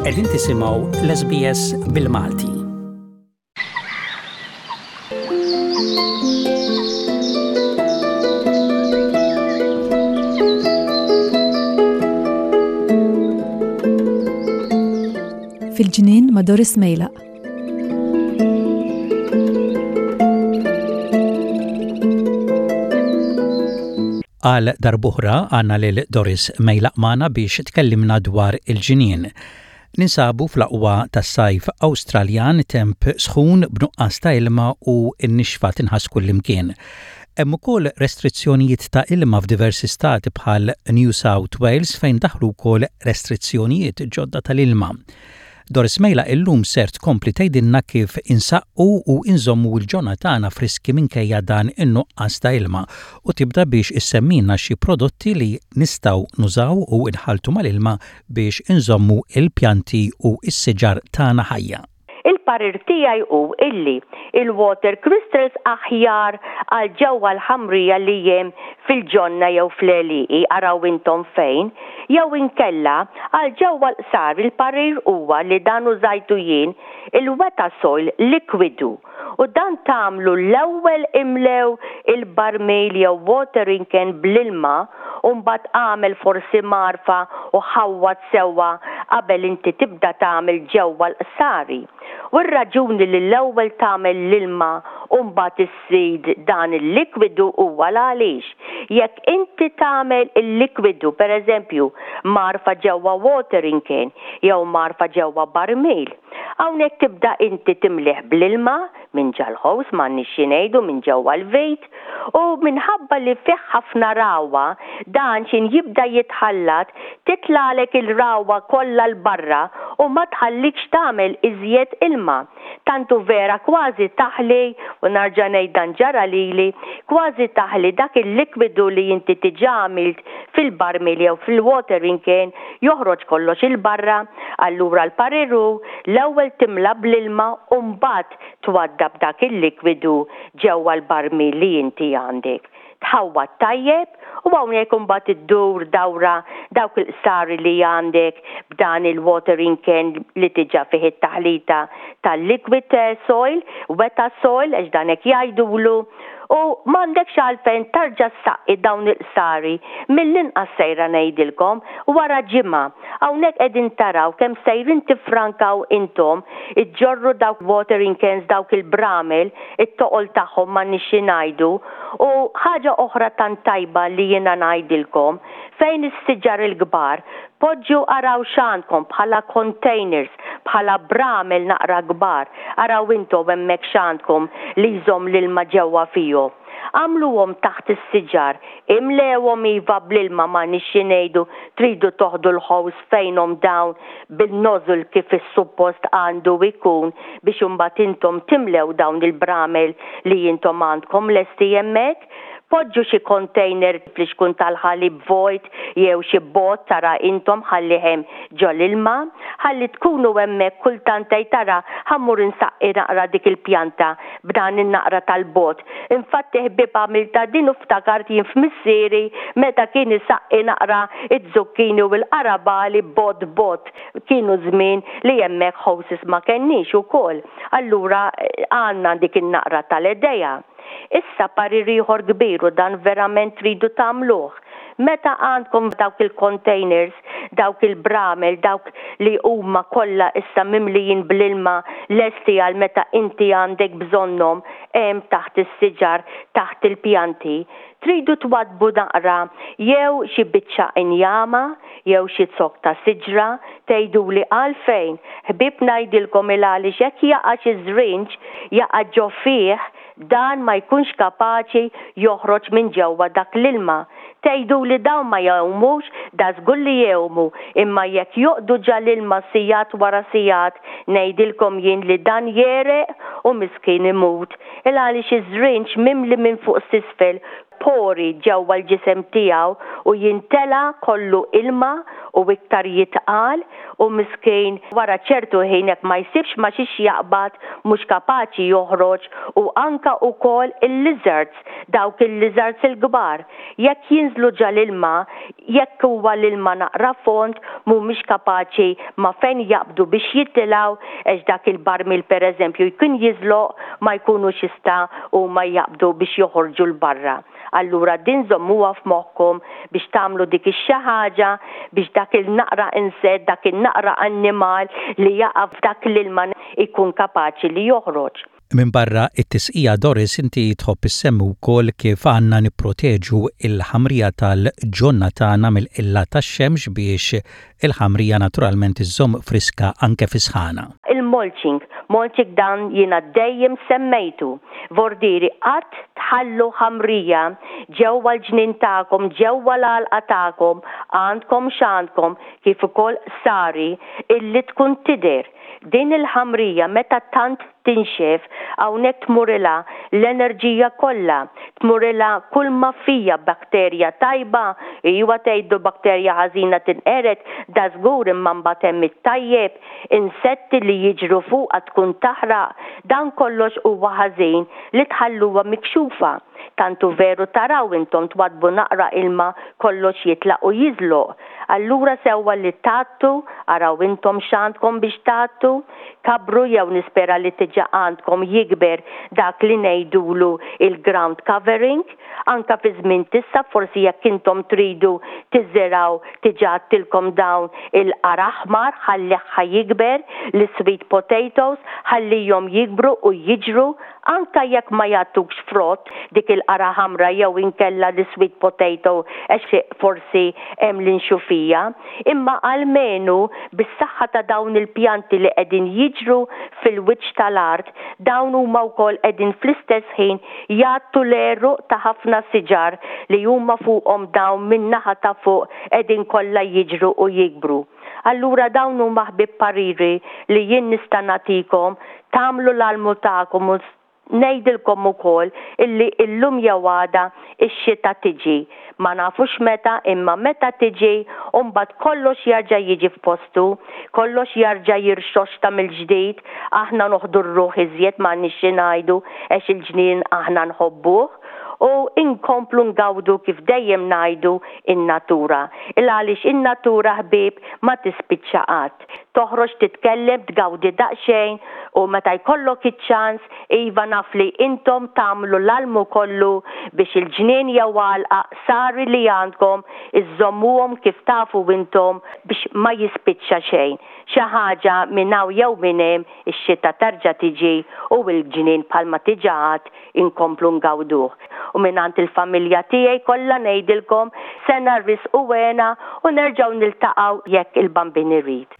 Qegħdin tisimgħu l-SBS bil-Malti. Fil-ġnien ma' Doris Mejlaq. Għal darb'oħra għandna lil Doris Mejlaq magħna biex tkellimna dwar il-ġnien. Ninsabu fl-aqwa tas-sajf Awstraljan, temp sħun b'nuqqas ta' ilma u n-nixfa tinħass kullimkien. Hemm ukoll restrizzjonijiet ta' ilma f'diversi stati bħal New South Wales fejn daħlu wkoll restrizzjonijiet ġodda tal-ilma. Doris Mejla illum ser tkompli tgħidilna kif insaqqu u inżommu l-ġonna tagħna friski minkejja dan in-nuqqas ta' ilma u tibda biex issemmilna xi prodotti li nistgħu nużaw u nħalltu mal-ilma biex inżommu l-pjanti u s-siġar tagħna ħajja. Il-parir tiegħi hu illi il-water crystals aħjar għal ġewwa l-ħamrija li hemm fil-ġonna jew fl-għelieqi, araw intom fejn, jew inkella għal ġewwa l-qsar il-parir huwa li dan użajtu jien, il-wetasoil likwidu u dan tagħmlu l-ewwel imlew il-barmil jew watering can bl-ilma u mbagħad agħmel forsi mgħarfa u ħawwad sewwa qabel inti tibda tagħmel ġewwa l-qsari. U r-raġuni li l-ewwel tagħmel l-ilma u mbagħad iżżid dan il-likwidu huwa l-għaliex jekk inti tagħmel il-likwidu pereżempju mgħarfa ġewwa watering can jew mgħarfa ġewwa barmil, Hawnhekk tibda inti timlih bl-ilma minn ġal-ħows m'għandniex xi ngħidu minn ġewwa l-vit u minħabba li fih ħafna ragħwa dan x'in jibda jitħallat titlagħlek il-ragħwa kollha 'l barra u ma tħallikx tagħmel iżjed ilma. Tant hu vera kważi taħli, u narġa' ngħid dan ġara lili, kważi taħli dak il-likwidu li inti diġà għamilt fil-barmil jew fil-watering can joħroġ kollox 'il barra, allura l-parir hu l-ewwel timla bl-ilma u mbagħad twaddab dak il-likwidu ġewwa l-barmil li inti għandek. Tħawwad tajjeb u hawnhekk imbagħad iddur dawra dawk il-qsari li għandek b'dan il-watering can li diġà fih it-taħlita tal-liquid soil, weta soil għax dan hekk jgħidulu, U m'għandekx għalfejn tarġa' ssaqqi dawn il-qsari, mill-inqas sejra ngħidilkom, wara ġimgħa. Hawnhekk qegħdin taraw kemm sejrin tiffrankaw intom, iġġorru dawk watering cans, dawk il-bramel, it-toqol tagħhom m'għandniex xi ngħidu. U ħaġa oħra tant tajba li jiena ngħidilkom, fejn is-siġar il-kbar, poġġu araw x'għandkom bħala containers, bħala bramel naqra kbar, araw intom hemmhekk x'għandkom li jżomm l-ilma ġewwa fihom. Agħmluhom taħt is-siġar, imlewhom iva bl-ilma m'għandniex xi ngħidu tridu toħdu l-ħows fejnhom dawn bil-nozzle kif is-suppost għandu jkun biex imbagħad intom timlew dawn il-bramel li intom għandkom lesti hemmhekk. Poġġu xi container flixkun tal-ħalib vojt jew xi bott tara intom ħallih hemm ġo l-ilma. Ħalli tkunu hemmhekk kultant tgħid tara ħa mmur insaqqi naqra dik il-pjanta b'dan in-naqra tal-bott. Infatti ħbieb għamiltha din u ftakart jien f'missieri meta kien isaqqi naqra z-zucchini u l-qarabagħli bott bott. Kienu żmien li hemmhekk hoses ma kenniex ukoll. Allura għandna dik in-naqra tal-idea. Issa parir ieħor kbir u dan verament tridu tagħmluh. Meta għandkom dawk il-containers, dawk il-bramel, dawk li huma kollha issa mimlijin bl-ilma lesti għal meta inti għandek bżonnhom hemm taħt is-siġar, taħt il-pjanti, tridu twaddbu naqra jew xi biċċa injama jew xi zokk ta' siġra, tgħiduli għalfejn? Ħbieb ngħidilkom il-għaliex jekk jaqa' xi żrinġ, jaqa' ġo fih, dan ma jkunx kapaċi joħroġ minn ġewwa dak l-ilma. Tgħiduli dawn ma jgħumux? Dażgur li jgħumu, imma jekk joqgħdu ġa l-ilma sigħat wara sigħat, ngħidilkom jien li dan jegħreq u miskin imut. Il-għaliex iż-żrinġ mimli minn fuq s'isfel. pori ġewwa l-ġisem tiegħu u jintela kollu ilma u iktar jitqal u miskin wara ċertu ħin jekk ma jsibx ma xiex jaqbad mhux kapaċi joħroġ u anka ukoll il-lizards, dawk il-lizards il-kbar jekk jinżlu ġa l-ilma jekk huwa l-ilma naqra fond mhumiex kapaċi ma fejn jaqbdu biex jitilgħu għax dak il-barmil pereżempju jkun jiżloq ma jkunux jista' huma jaqbdu biex joħorġu 'l barra. Allura din żommuha f'moħħkom biex tagħmlu dik ix-xi ħaġa biex dak il-naqra insett, dak in-naqra annimal li jaqa' f'dak l-ilma jkun kapaċi li joħroġ. Minbarra t-tisqija Doris inti tħobb issemmi wkoll kif għandna nipproteġu l-ħamrija tal-ġonna tagħna mill-qilla tax-xemx biex il-ħamrija naturalment iżżomm friska anke fis-sħana. Il-mulching, mulching dan jiena dejjem semmejtu. Vordieri qatt tħallu ħamrija ġewwa l-ġnien tagħkom, ġewwa l-għalqa tagħkom, għandkom x'għandkom, kif ukoll sari, illi tkun tidher. Din il-ħamrija meta tant tinxef hawnhekk tmurilha l-enerġija kollha, tmurilha kull ma fija bakterja tajba, iwa tgħidu bakterja ħażina tinqered, dażgur imma mbagħad hemm it-tajjeb, insetti li jiġru fuqha tkun taħraq, dan kollox huwa ħażin li tħalluha mikxufa. Tant hu veru taraw intom twaddbu naqra ilma kollox jitlaq u jiżloq. Allura sewwa li tgħattu, araw intom x'għandkom biex tgħattu, kabbru jew nispera li diġa għandkom jikber dak li ngħidulu il-ground covering, anka fi żmien t'issa forsi jekk intom tridu tiżirgħu diġa għadtilkom dawn il-qara aħmar ħallih ħa jikber, l-sweet potatoes ħallihom jikbru u jiġru Anka jekk ma jagħtukx frott, dik il-qara ħamra jew inkella l-sweet potato għax forsi hemm l-inxufija, imma almenu bis-saħħa ta' dawn il-pjanti li qegħdin jiġru fil-wiċċ tal-art, dawn huma wkoll qegħdin fl-istess ħin jgħattu l-għeruq ta' ħafna siġar li huma fuqhom dawn min-naħa ta' fuq qegħdin kollha jiġru u jikbru. Allura dawn huma ħbieb pariri li jien nista' nagħtikom, tagħmlu l-almu tagħkom u ngħidilkom ukoll illi illum jew għada x-xita tiġi. Ma nafux meta imma meta tiġi u mbagħad kollox jarġa' jiġi f'postu, kollox jarġa' jirxoxta mill-ġdid, aħna noħdu r-ruħ iżjed m'għandniex xi ngħidu għax il-ġnien aħna nħobbuh. U nkomplu ngawdu kif dejjem ngħidu in-natura. Il għaliex in-natura ħbieb ma tispiċċa qatt. Toħroġ titkellem, tgawdi daqsxejn u meta jkollok iċ-ċans, iva naf li intom tagħmlu l-almu kollu biex il-ġnien jew għalqa qsari li għandkom iżżommuhom kif tafu intom biex ma jispiċċa xejn. Xi ħaġa minn hawn jew minn hemm ix-xita terġa' tiġi u l-ġnien bħalma diġà għad inkomplu ngawduh. U mingħand il-familja tiegħi kollha ngħidilkom sena risq u hena u nerġgħu niltaqgħu jekk il-Bambin irid.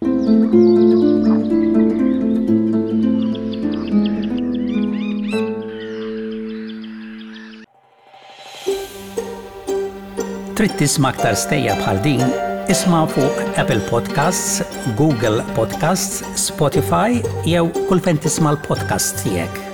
Trid tisma' aktar stejjer bħal din? Isma' fuq Apple Podcasts, Google Podcasts, Spotify jew kull fejn tisma' l-podcasts tiegħek.